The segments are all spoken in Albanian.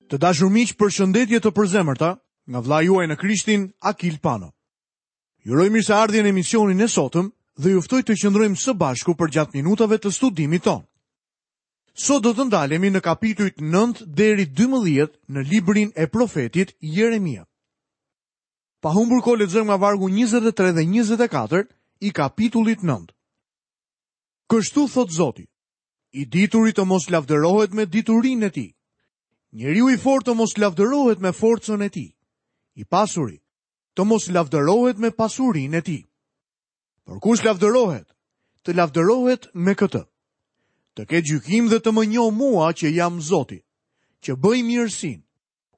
Të dashur miq, përshëndetje të përzemërta nga vëllai juaj në Krishtin, Akil Pano. Ju uroj mirëseardhje në emisionin e sotëm dhe ju ftoj të qëndrojmë së bashku përgjatë minutave të studimit tonë. Sot do të ndalemi në kapitujt 9 deri 12 në librin e profetit Jeremia. Pa humbur kohë lexojmë nga vargu 23 dhe 24 i kapitullit 9. Kështu thotë Zoti, I dituri të mos lavdërohet me diturinë e tij. Njeriu i fortë të mos lavdërohet me forcën e tij. I pasuri të mos lavdërohet me pasurinë e tij. Por kush lavdërohet, të lavdërohet me këtë. Të ketë gjykim dhe të më njohë mua që jam Zoti, që bëj mirësinë,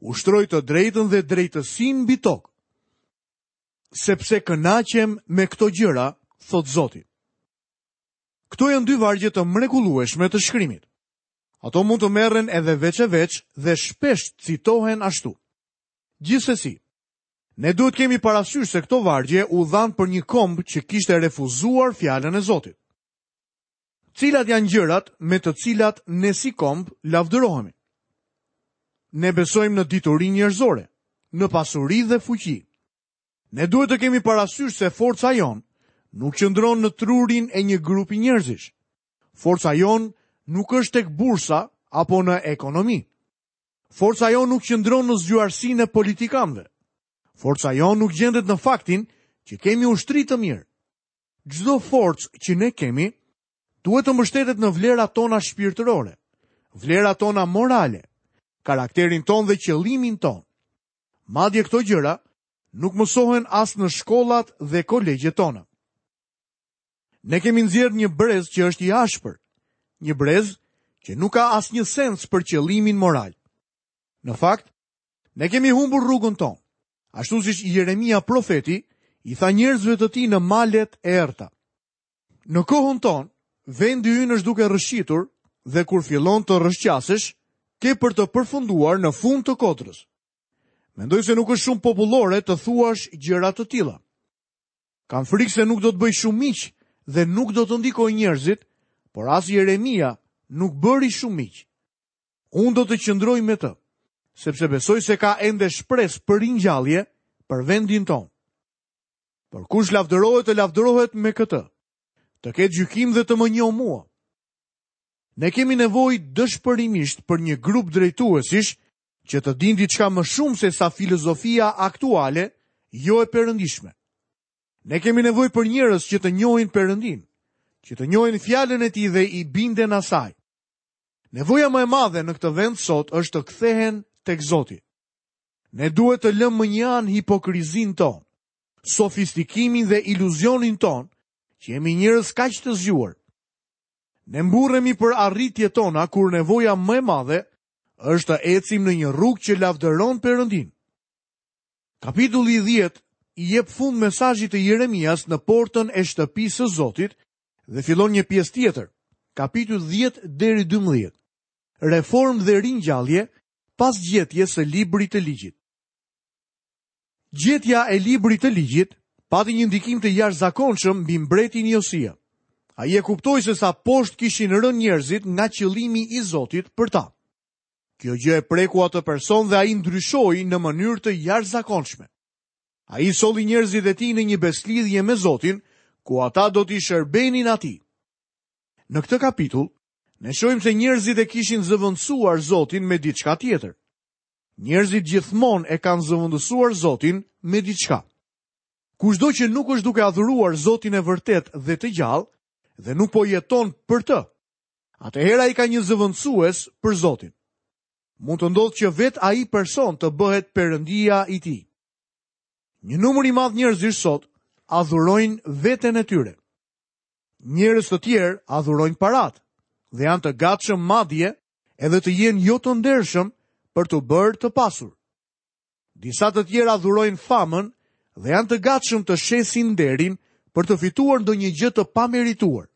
ushtroj të drejtën dhe drejtësinë mbi tokë. Sepse kënaqem me këto gjëra, thotë Zoti. Këto janë dy vargje të mrekullueshme të shkrimit. Ato mund të merren edhe veç e veç dhe shpesh citohen ashtu. Gjithsesi, ne duhet të kemi parasysh se këto vargje u dhanë për një komb që kishte refuzuar fjalën e Zotit. Cilat janë gjërat me të cilat ne si komb lavdërohemi? Ne besojmë në diturinë njerëzore, në pasuri dhe fuqi. Ne duhet të kemi parasysh se forca jonë nuk qëndron në trurin e një grupi njerëzish. Forca jonë nuk është tek bursa apo në ekonomi. Forca jonë nuk qëndron në zgjuarsinë e politikanëve. Forca jonë nuk gjendet në faktin që kemi ushtri të mirë. Çdo forcë që ne kemi duhet të mbështetet në vlerat tona shpirtërore, vlerat tona morale, karakterin tonë dhe qëllimin tonë. Madje këto gjëra nuk mësohen as në shkollat dhe kolegjet tona. Ne kemi nxjerrë një brez që është i ashpër, një brez që nuk ka asnjë sens për qëllimin moral. Në fakt, ne kemi humbur rrugën tonë, ashtu siç Jeremia profeti i tha njerëzve të tij në malet e errëta. Në kohën tonë, vendi ynë është duke rrëshqitur dhe kur fillon të rrëshqasësh, ke për të përfunduar në fund të kodrës. Mendoj se nuk është shumë popullore të thuash gjëra të tilla. Kam frikë se nuk do të bëj shumë miq dhe nuk do të ndikoj njerëzit, por as Jeremia nuk bëri shumë miq. Unë do të qëndroj me të, sepse besoj se ka ende shpresë për ringjallje për vendin tonë. Por kush lavdërohet të lavdërohet me këtë, të ketë gjykim dhe të më njohë mua. Ne kemi nevojë dëshpërimisht për një grup drejtuesish që të dinë diçka më shumë se sa filozofia aktuale, jo e perëndishme. Ne kemi nevojë për njerëz që të njohin Perëndinë, që të njohin fjalën e tij dhe i binden asaj. Nevoja më e madhe në këtë vend sot është të kthehen tek Zoti. Ne duhet të lëmë mënjanë hipokrizinë tonë, sofistikimin dhe iluzionin tonë, që jemi njerëz kaq të zgjuar. Ne mburremi për arritjet tona kur nevoja më e madhe është të ecim në një rrugë që lavdëron Perëndinë. Kapitulli 10 i jep fund mesazhit të Jeremias në portën e shtëpisë së Zotit dhe fillon një pjesë tjetër, kapitujt 10 deri 12. Reformë dhe ringjallje pas gjetjes së librit të ligjit. Gjetja e librit të ligjit pati një ndikim të jashtëzakonshëm mbi mbretin Josia. Ai e kuptoi se sa poshtë kishin rënë njerëzit nga qëllimi i Zotit për ta. Kjo gjë e preku atë person dhe ai ndryshoi në mënyrë të jashtëzakonshme. Ai solli njerëzit e tij në një besëlidhje me Zotin, ku ata do t'i shërbenin atij. Në këtë kapitull, ne shohim se njerëzit e kishin zëvendësuar Zotin me diçka tjetër. Njerëzit gjithmonë e kanë zëvendësuar Zotin me diçka. Kushdo që nuk është duke adhuruar Zotin e vërtetë dhe të gjallë dhe nuk po jeton për të, atëherë ai ka një zëvendësues për Zotin. Mund të ndodhë që vetë ai person të bëhet perëndia i tij. Një numër i madh njerëzish sot adhurojnë veten e tyre. Njerëz të tjerë adhurojnë paratë dhe janë të gatshëm madje edhe të jenë jo të ndershëm për t'u bërë të pasur. Disa të tjerë adhurojnë famën dhe janë të gatshëm të shesin nderin për të fituar ndonjë gjë të pamerituar.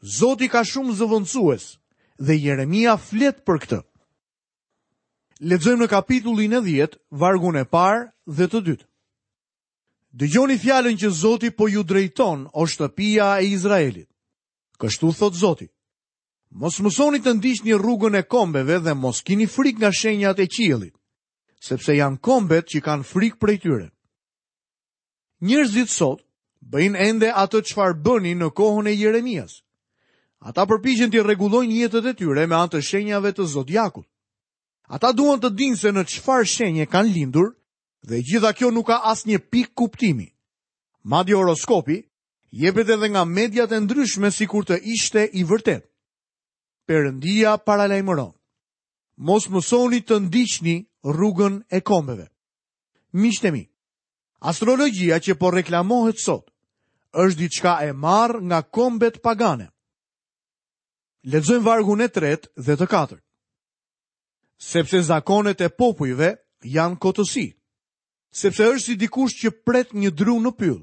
Zoti ka shumë zëvendësues dhe Jeremia flet për këtë. Lexojmë në kapitullin e 10, vargun e parë dhe të dytë. Dëgjoni fjalën që Zoti po ju drejton, o shtëpia e Izraelit. Kështu thotë Zoti. Mos mësoni të ndiqni rrugën e kombeve dhe mos kini frikë nga shenjat e qiellit, sepse janë kombet që kanë frikë prej tyre. Njerëzit sot bëjnë ende atë çfarë bënin në kohën e Jeremias. Ata përpiqen t'i rregullojnë jetët e tyre me anë të shenjave të zodiakut. Ata duan të dinë se në çfarë shenje kanë lindur dhe e gjitha kjo nuk ka asnjë pikë kuptimi. Madje horoskopi jepet edhe nga mediat e ndryshme sikur të ishte i vërtetë. Perëndia paralajmëron. Mos mësoni të ndiqni rrugën e kombeve. Miqtë e mi, astrologjia që po reklamohet sot është diçka e marrë nga kombet pagane. Lexojmë vargun e tretë dhe të katërt. Sepse zakonet e popujve janë kotësi. Sepse është si dikush që pret një dru në pyll.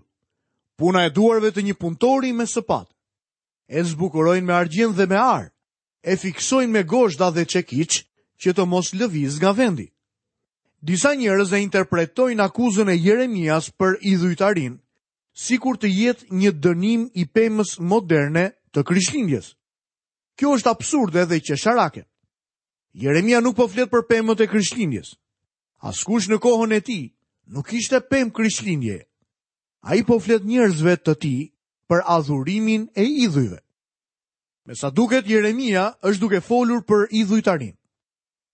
Puna e duarve të një punëtori me sëpatë. E zbukurojnë me argjend dhe me ar, e fiksojnë me gozhda dhe çekiç që të mos lëvizë nga vendi. Disa njerëz e interpretojnë akuzën e Jeremias për idhujtarinë, sikur të jetë një dënim i pemës moderne të Krishtlindjes. Kjo është absurde dhe qesharake. Jeremia nuk po flet për pemët e Krishtlindjes. Askush në kohën e tij nuk kishte pemë Krishtlindjeje. Ai po flet njerëzve të tij për adhurimin e idhujve. Me sa duket Jeremia është duke folur për idhujtarinë.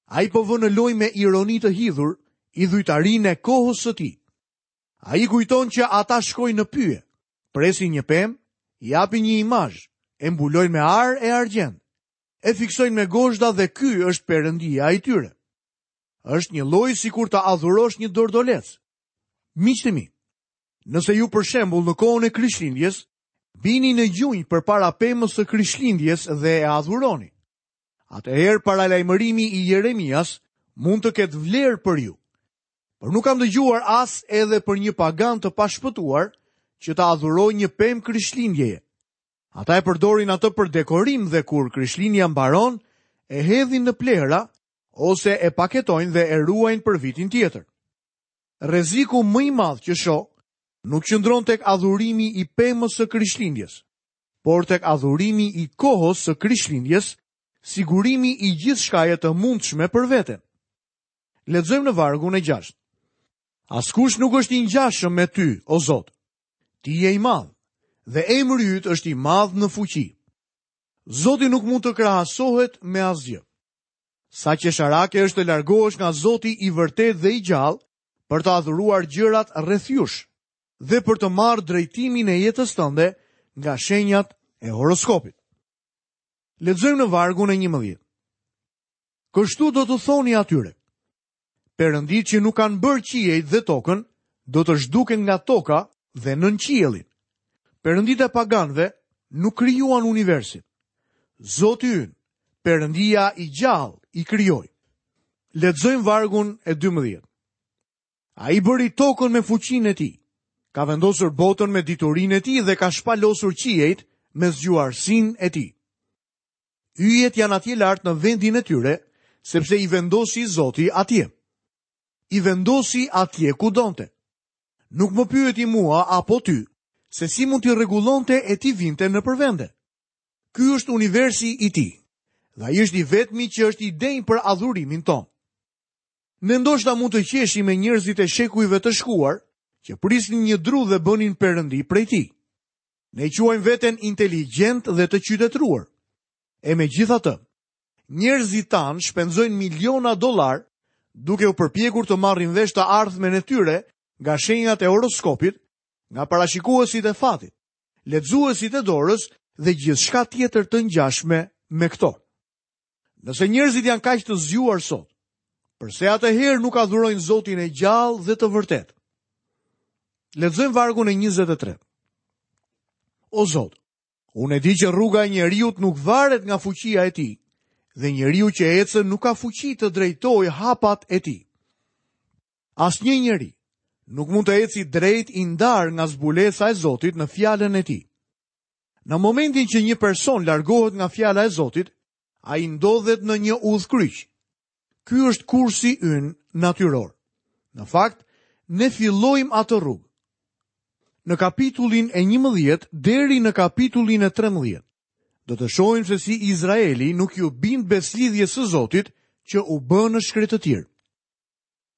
Ai po vë në lojë me ironi të hidhur idhujtarinë e kohës së tij. Ai kujton që ata shkojnë në pyje, presin një pemë, japin një imazh, e mbulojnë me ar e argjend, e fiksojnë me gozhda dhe ky është perëndia i tyre. Është njëlloj sikur të adhurosh një dordolec. Miqtë e mi, nëse ju për shembull në kohën e Krishtlindjes bini në gjunjë përpara pemës së Krishtlindjes dhe e adhuroni, atëherë paralajmërimi i Jeremias mund të ketë vlerë për ju. Por nuk kam dëgjuar as edhe për një pagan të pashpëtuar që të adhurojë një pemë Krishtlindjeje. Ata e përdorin atë për dekorim dhe kur Krishtlindja mbaron, e hedhin në plehra ose e paketojnë dhe e ruajnë për vitin tjetër. Rreziku më i madh që shoh nuk qëndron tek adhurimi i pemës së Krishtlindjes, por tek adhurimi i kohës së Krishtlindjes, sigurimi i gjithçkaje të mundshme për veten. Lexojmë në vargun e 6. Askush nuk është i ngjashëm me ty, o Zot. Ti je i madh dhe emri yt është i madh në fuqi. Zoti nuk mund të krahasohet me asgjë. Sa qesharake është të largohesh nga Zoti i vërtetë dhe i gjallë për të adhuruar gjërat rreth jush dhe për të marrë drejtimin e jetës tënde nga shenjat e horoskopit. Lexojmë në vargun e 11. Kështu do t'u thoni atyre. Perënditë që nuk kanë bërë qiejt dhe tokën, do të zhduken nga toka dhe nën qiellin. Perënditë e paganëve nuk krijuan universin. Zoti ynë, Perëndia i gjallë, i krijoi. Lexojmë vargun e 12. Ai bëri tokën me fuqinë e tij. Ka vendosur botën me diturinë e tij dhe ka shpalosur qiejt me zgjuarsinë e tij. Yjet janë atje lart në vendin e tyre, sepse i vendosi Zoti atje. I vendosi atje ku donte. Nuk më pyeti mua apo ty, se si mund t'i rregullonte e t'i vinte nëpër vende. Ky është universi i tij, dhe ai është i vetmi që është i denjë për adhurimin tonë. Ne ndoshta mund të qeshim me njerëzit e shekujve të shkuar, që prisnin një dru dhe bënin perëndi prej tij. Ne quajmë veten inteligjentë dhe të qytetëruar. E megjithatë, njerëzit tanë shpenzojnë miliona dollarë duke u përpjekur të marrin vesh të ardhmen e tyre nga shenjat e horoskopit, nga parashikuesit e fatit, lexuesit e dorës dhe gjithçka tjetër të ngjashme me këto. Nëse njerëzit janë kaq të zgjuar sot, përse atëherë nuk adhurojnë Zotin e gjallë dhe të vërtetë? Lexojmë vargun e 23. O Zot, unë e di që rruga e njeriut nuk varet nga fuqia e tij, dhe njeriu që ecën nuk ka fuqi të drejtojë hapat e tij. Asnjë njeri nuk mund të eci drejt i ndarë nga zbulesa e Zotit në fjalën e tij. Në momentin që një person largohet nga fjala e Zotit, ai ndodhet në një udhëkryq. Ky është kursi ynë natyror. Në fakt, ne fillojmë atë rrugë. Në kapitullin e 11 deri në kapitullin e 13. Do të shohim se si Izraeli nuk iu bind besëlidhjes së Zotit që u bë në shkretëtirë.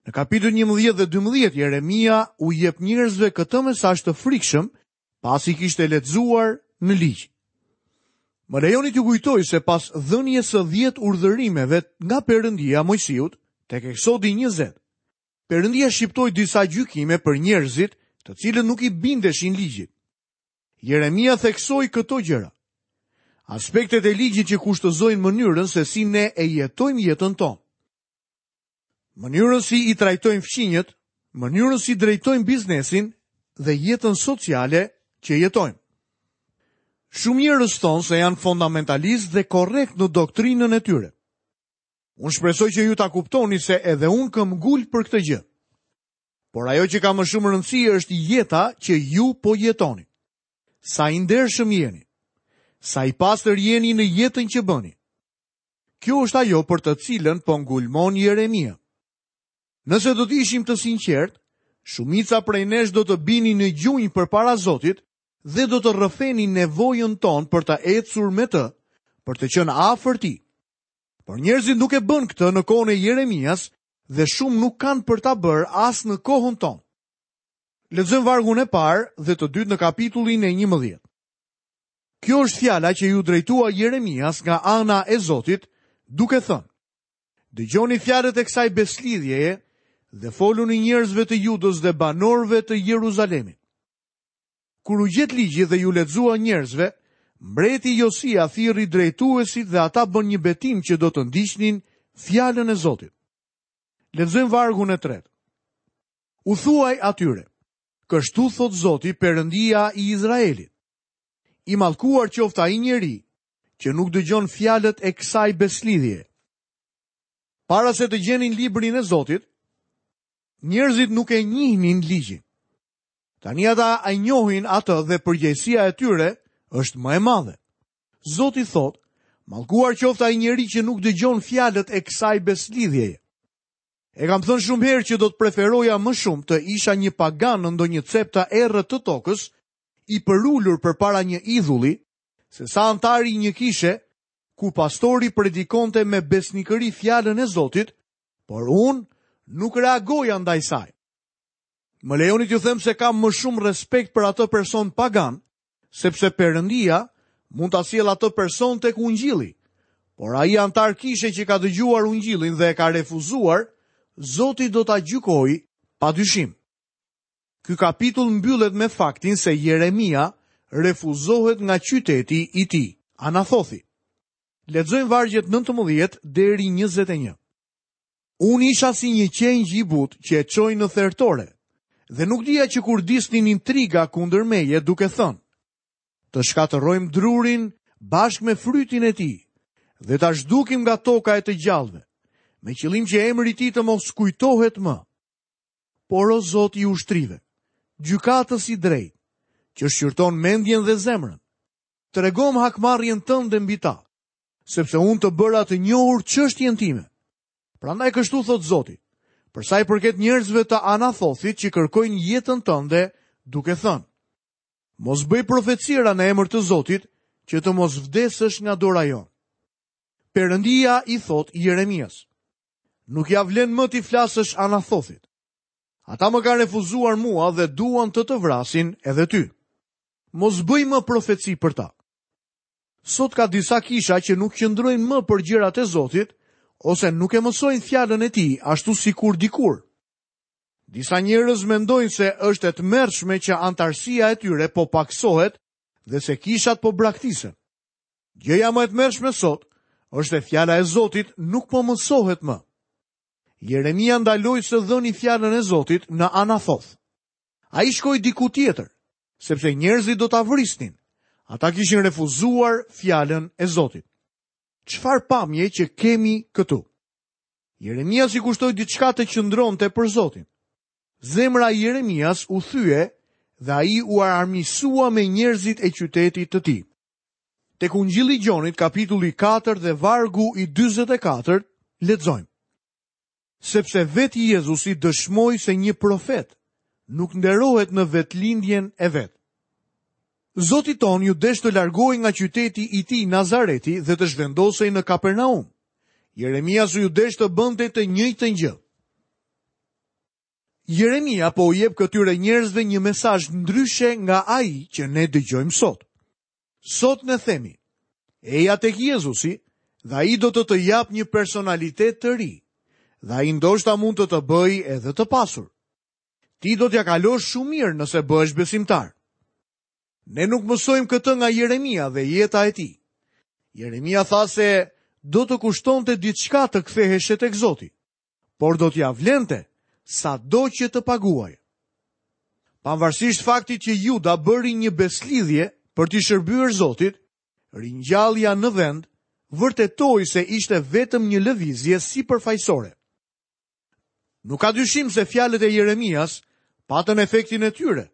Në kapitujt 11 dhe 12 Jeremia u jep njerëzve këtë mesazh të frikshëm pasi kishte lexuar në ligj. Më lejoni t'ju kujtoj se pas dhënies së 10 urdhërimeve nga Perëndia Moisiut, tek Eksodi 20, Perëndia shqiptoi disa gjykime për njerëzit, të cilët nuk i bindeshin ligjit. Jeremia theksoi këto gjëra. Aspektet e ligjit që kushtëzojnë mënyrën se si ne e jetojmë jetën tonë. Mënyrën si i trajtojmë fqinjët, mënyrën si drejtojmë biznesin dhe jetën sociale që jetojmë. Shumë njerëz thonë se janë fondamentalistë dhe korrektë në doktrinën e tyre. Unë shpresoj që ju ta kuptoni se edhe unë këmbëngul për këtë gjë. Por ajo që ka më shumë rëndësi është jeta që ju po jetoni. Sa i ndershëm jeni? Sa i pastër jeni në jetën që bëni? Kjo është ajo për të cilën po ngulmon Jeremia. Nëse do të ishim të sinqertë, shumica prej nesh do të binin në gjunjë përpara Zotit dhe do të rrëfenin nevojën tonë për të ecur me të, për të qenë afër tij. Por njerëzit nuk e bënë këtë në kohën e Jeremias dhe shumë nuk kanë për ta bërë as në kohën tonë. Lexojmë vargun e parë dhe të dytë në kapitullin e 11. Kjo është fjala që iu drejtua Jeremias nga ana e Zotit, duke thënë: Dëgjoni fjalët e kësaj besëlidhjeje dhe foluni njerëzve të Judës dhe banorëve të Jeruzalemit. Kur u gjet ligji dhe iu lexua njerëzve, mbreti Josia thirri drejtuesit dhe ata bënë një betim që do të ndiqnin fjalën e Zotit. Lexojmë vargun e tretë. U thuaj atyre, kështu thotë Zoti, Perëndia i Izraelit. I mallkuar qoftë ai njeri që nuk dëgjon fjalët e kësaj besëlidhjeje. Para se të gjenin librin e Zotit, njerëzit nuk e njihnin ligjin. Tani ata e njohin atë dhe përgjegjësia e tyre është më e madhe. Zoti thotë, mallkuar qoftë ai njeri që nuk dëgjon fjalët e kësaj besëlidhjeje. E kam thënë shumë herë që do të preferoja më shumë të isha një pagan në ndonjë cep të errët të tokës, i përulur përpara një idhulli, sesa anëtar i një kishe ku pastori predikonte me besnikëri fjalën e Zotit, por unë nuk reagoja ndaj saj. Më lejoni t'ju them se kam më shumë respekt për atë person pagan, sepse Perëndia mund ta sjellë atë person tek ungjilli. Por ai anëtar kishe që ka dëgjuar ungjillin dhe e ka refuzuar, Zoti do ta gjykojë pa dyshim. Ky kapitull mbyllet me faktin se Jeremia refuzohet nga qyteti i tij, Anathothi. Lexojmë vargjet 19 deri 21. Unë isha si një qengj i butë që e çojnë në thertore, dhe nuk dija që kurdisnin intriga kundër meje duke thënë, të shkatërrojmë drurin bashkë me frytin e tij dhe ta zhdukim nga toka e të gjallëve, me qëllim që emri i tij të mos kujtohet më. Por o Zot i ushtrive, gjykatës i drejtë, që shqyrton mendjen dhe zemrën, tregomë hakmarrjen tënde mbi ta, sepse unë të bëra të njohur çështjen time. Prandaj kështu thotë Zoti, për sa i përket njerëzve të Anathothit që kërkojnë jetën tënde, duke thënë: Mos bëj profecira në emër të Zotit, që të mos vdesësh nga dora jonë. Perëndia i thotë Jeremias: Nuk ia vlen më t'i flasësh Anathothit. Ata më kanë refuzuar mua dhe duan të të vrasin edhe ty. Mos bëj më profeci për ta. Sot ka disa kisha që nuk qëndrojnë më për gjërat e Zotit ose nuk e mësojnë fjalën e tij ashtu sikur dikur. Disa njerëz mendojnë se është e tmerrshme që anëtarësia e tyre po pakësohet dhe se kishat po braktisen. Gjëja më e tmerrshme sot është se fjala e Zotit nuk po mësohet më. Jeremia ndaloi së dhëni fjalën e Zotit në Anathoth. Ai shkoi diku tjetër, sepse njerëzit do ta vrisnin. Ata kishin refuzuar fjalën e Zotit. Çfarë pamje që kemi këtu? Jeremias i kushtoi diçka të qëndronte për Zotin. Zemra e Jeremias u thye dhe ai u armiqësua me njerëzit e qytetit të tij. Tek Ungjilli i Gjonit, kapitulli 4 dhe vargu i 44, lexojmë. Sepse vetë Jezusi dëshmoi se një profet nuk nderohet në vendlindjen e vet. Zotit tonë iu desh të largohej nga qyteti i tij Nazareti dhe të zhvendosej në Kapernaum. Jeremias iu desh të bënte të njëjtën gjë. Jeremia po u jep këtyre njerëzve një mesazh ndryshe nga ai që ne dëgjojmë sot. Sot ne themi, eja tek Jezusi dhe ai do të të japë një personalitet të ri dhe ai ndoshta mund të të bëjë edhe të pasur. Ti do t'ia kalosh shumë mirë nëse bëhesh besimtar. Ne nuk mësojmë këtë nga Jeremia dhe jeta e tij. Jeremia tha se do të kushtonte diçka të ktheheshe tek Zoti, por do t'ia vlente sado që të paguaje. Pavarësisht faktit që Juda bëri një besëlidhje për t'i shërbyer Zotit, ringjallja në vend vërtetoi se ishte vetëm një lëvizje sipërfaqësore. Nuk ka dyshim se fjalët e Jeremias patën efektin e tyre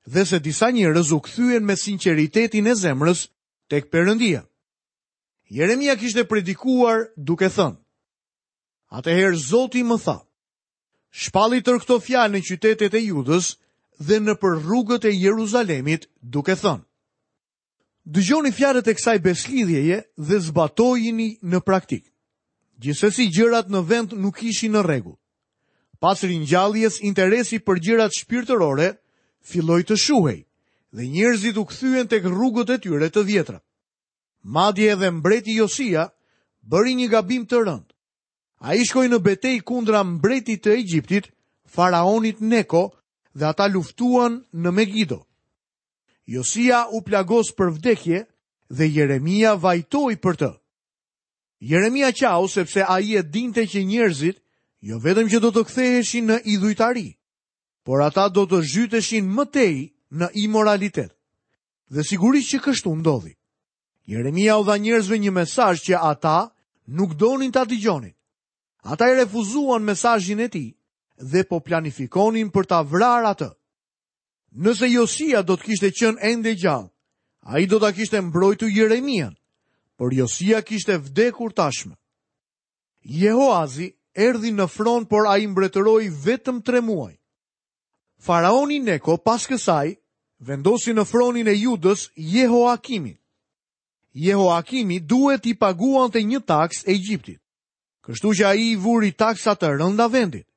dhe se disa njerëz u kthyen me sinqeritetin e zemrës tek Perëndia. Jeremia kishte predikuar duke thënë: Atëherë Zoti më tha: Shpalli tërë këto fjalë në qytetet e Judës dhe nëpër rrugët e Jeruzalemit, duke thënë: Dëgjoni fjalët e kësaj besëlidhjeje dhe zbatojini në praktikë. Gjithsesi gjërat në vend nuk ishin në rregull. Pas ringjalljes, interesi për gjërat shpirtërore filloi të shuhej dhe njerëzit u kthyen tek rrugët e tyre të vjetra. Madje edhe mbreti Josia bëri një gabim të rëndë. Ai shkoi në betejë kundra mbretit të Egjiptit, faraonit Neko, dhe ata luftuan në Megido. Josia u plagos për vdekje dhe Jeremia vajtoi për të. Jeremia qau sepse ai e dinte që njerëzit jo vetëm që do të ktheheshin në idhujtari, por ata do të zhyteshin më tej në imoralitet. Dhe sigurisht që kështu ndodhi. Jeremia u dha njerëzve një mesazh që ata nuk donin ta dëgjonin. Ata e refuzuan mesazhin e tij dhe po planifikonin për ta vrarë atë. Nëse Josia do të kishte qenë ende gjallë, ai do ta kishte mbrojtur Jeremian, por Josia kishte vdekur tashmë. Jehoazi erdhi në fron, por ai mbretëroi vetëm 3 muaj. Faraoni Neko pas kësaj vendosi në fronin e Judës Jehoakimin. Jehoakimi duhet t'i paguante një taksë Egjiptit. Kështu që ai i vuri taksa të rënda vendit.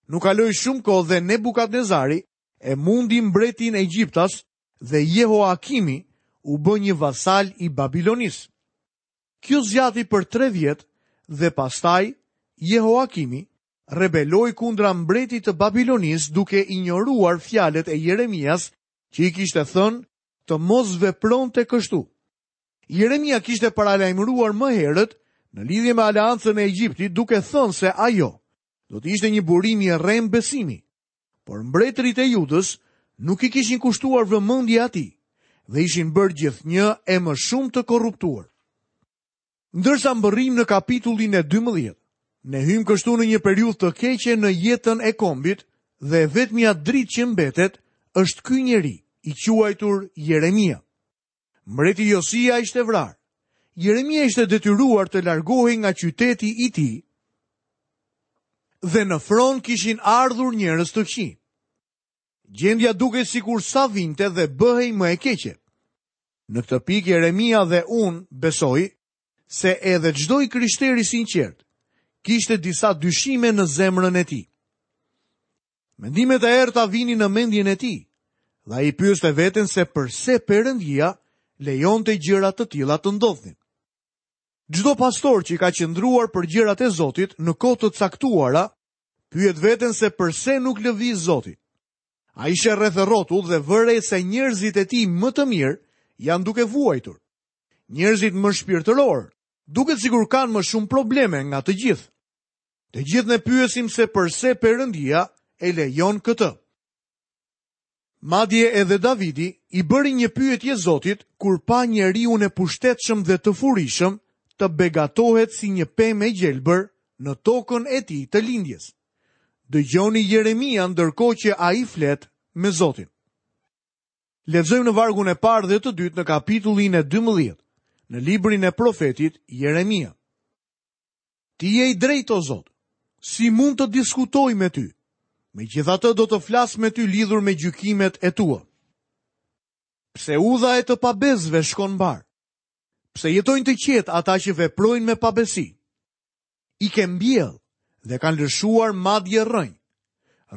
Nuk kaloi shumë kohë dhe Nebukadnezari e mundi mbretin egjiptas dhe Jehoakimi u bë një vasal i Babilonisë. Kjo zgjati për 3 vjet dhe pastaj Jehoakimi rebeloi kundra mbretit të Babilonisë duke injoruar fjalët e Jeremias që i kishte thënë të mos vepronte kështu. Jeremia kishte paralajmëruar më herët në lidhje me aleancën e Egjiptit duke thënë se ajo do të ishte një burim i rremë besimi. Por mbretërit e Judës nuk i kishin kushtuar vëmendje atij dhe ishin bërë gjithnjë e më shumë të korruptuar. Ndërsa mbërrijmë në kapitullin e 12, ne hyjmë kështu në një periudhë të keqe në jetën e kombit dhe e vetmja dritë që mbetet është ky njeri i quajtur Jeremia. Mbreti Josia ishte vrarë. Jeremia ishte detyruar të largohej nga qyteti i tij dhe në fron kishin ardhur njerëz të këqij. Gjendja dukej sikur sa vinte dhe bëhej më e keqe. Në këtë pikë Jeremia dhe unë besoj se edhe çdo i krishterë i sinqertë kishte disa dyshime në zemrën e tij. Mendimet e errëta vinin në mendjen e tij dhe ai pyeste veten se përse Perëndia lejonte gjëra të tilla të ndodhnin. Çdo pastor që ka qëndruar për gjërat e Zotit në kohë të caktuara, pyet veten se përse nuk lëviz Zoti. Ai sheh rreth e rrotull dhe vë re se njerëzit e tij më të mirë janë duke vuajtur. Njerëzit më shpirtërorë duket sikur kanë më shumë probleme nga të gjithë. Të gjithë ne pyesim se përse Perëndia e lejon këtë. Madje edhe Davidi i bëri një pyetje Zotit kur pa njeriun e pushtetshëm dhe të furishëm të begatohet si një pemë e gjelbër në tokën e tij të lindjes. Dëgjoni Jeremian ndërkohë që ai flet me Zotin. Lexojmë në vargun e parë dhe të dytë në kapitullin e 12, në librin e profetit Jeremia. Ti je i drejtë, o Zot. Si mund të diskutoj me ty? Megjithatë do të flas me ty lidhur me gjykimet e tua. Pse udha e të pabesëve shkon mbarë? Pse jetojnë të qetë ata që veprojnë me pabesi? I ke mbjellë dhe kanë lëshuar madje rrënjë.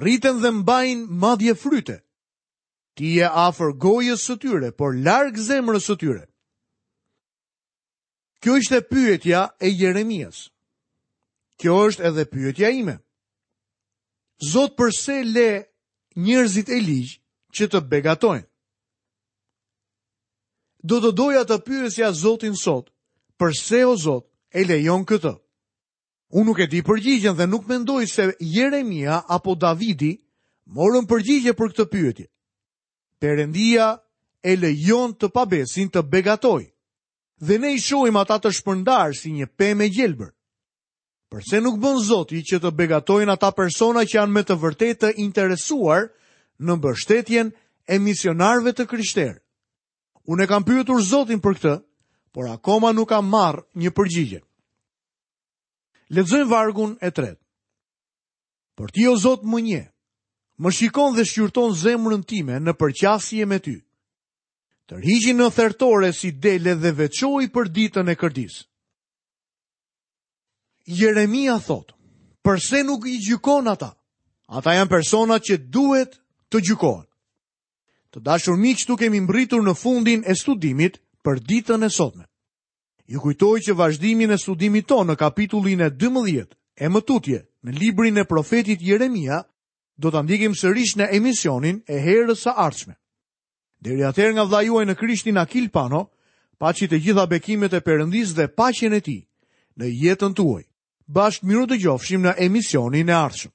Rriten dhe mbajnë madje fryte. Ti je afër gojës së tyre, por larg zemrës së tyre. Kjo ishte pyetja e Jeremias. Kjo është edhe pyetja ime. Zot përse le njerëzit e ligj që të begatojnë? Do të doja të pyesja Zotin sot, përse o Zot e lejon këtë? Unë nuk e di përgjigjen dhe nuk mendoj se Jeremia apo Davidi morën përgjigje për këtë pyetje. Perëndia e lejon të pabesin të begatojë. Dhe ne i shohim ata të shpërndarë si një pemë e gjelbër. Përse nuk bën Zoti që të begatojnë ata persona që janë me të vërtetë të interesuar në mbështetjen e misionarëve të krishterë? Unë e kam pyetur Zotin për këtë, por akoma nuk kam marrë një përgjigje. Lexojmë vargun e tretë. Por ti o Zot më njeh, më shikon dhe shqyrton zemrën time në përqasje me ty. Tërhiqi në thertore si dele dhe veçoji për ditën e kërdisë. Jeremia thotë, përse nuk i gjykon ata? Ata janë personat që duhet të gjykohen. Të dashur miq, këtu kemi mbërritur në fundin e studimit për ditën e sotme. Ju kujtoj që vazhdimin e studimit tonë në kapitullin e 12 e më tutje në librin e profetit Jeremia do ta ndjekim sërish në emisionin e herës së ardhshme. Deri atëherë nga vëllai juaj në Krishtin Akil Pano, paçi të gjitha bekimet e Perëndisë dhe paqen e tij në jetën tuaj. Bashkë mirudëgjofshim në emisionin e ardhshëm.